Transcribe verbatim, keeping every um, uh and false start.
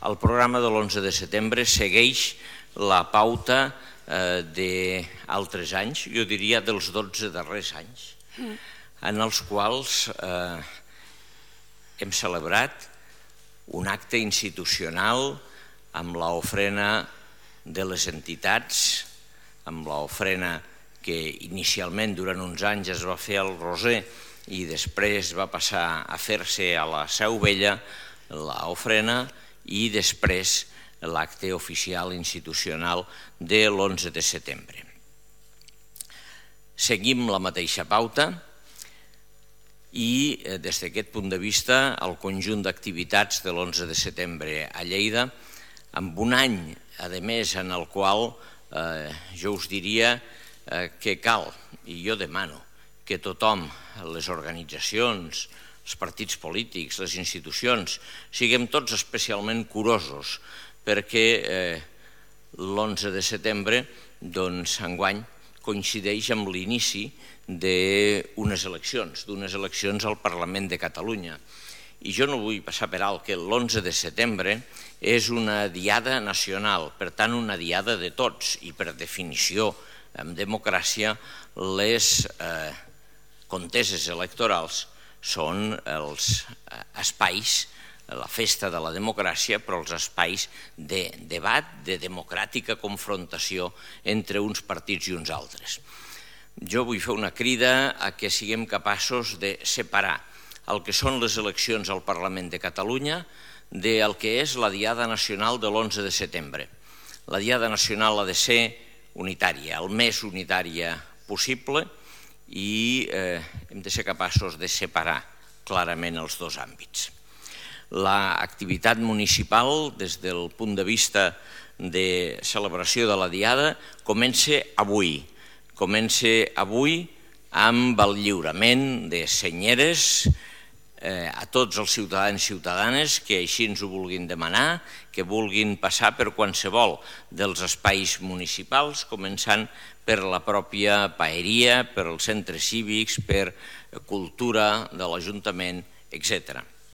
el programa de l'onze de setembre segueix la pauta d'altres anys, jo diria dels dotze darrers anys, en els quals hem celebrat un acte institucional amb l'ofrena de les entitats, amb l'ofrena que inicialment durant uns anys es va fer al Roser i després va passar a fer-se a la Seu Vella, l'ofrena, i després l'acte oficial institucional de l'onze de setembre. Seguim la mateixa pauta i des d'aquest punt de vista el conjunt d'activitats de l'onze de setembre a Lleida, amb un any, a més, en el qual jo us diria que cal, i jo demano, que tothom, les organitzacions, els partits polítics, les institucions, siguem tots especialment curosos perquè l'onze de setembre, doncs, enguany, coincideix amb l'inici d'unes eleccions, d'unes eleccions al Parlament de Catalunya. I jo no vull passar per alt que l'onze de setembre és una diada nacional, per tant, una diada de tots, i per definició, en democràcia, les conteses electorals són els espais, la festa de la democràcia, però els espais de debat, de democràtica confrontació entre uns partits i uns altres. Jo vull fer una crida a que siguem capaços de separar el que són les eleccions al Parlament de Catalunya del que és la Diada Nacional de l'onze de setembre. La Diada Nacional ha de ser unitària, el més unitària possible, i hem de ser capaços de separar clarament els dos àmbits. L'activitat municipal, des del punt de vista de celebració de la Diada, comença avui. Comença avui amb el lliurament de senyeres a tots els ciutadans i ciutadanes que així ens ho vulguin demanar, que vulguin passar per qualsevol dels espais municipals, començant per la pròpia paeria, per els centres cívics, per cultura de l'Ajuntament, etcètera.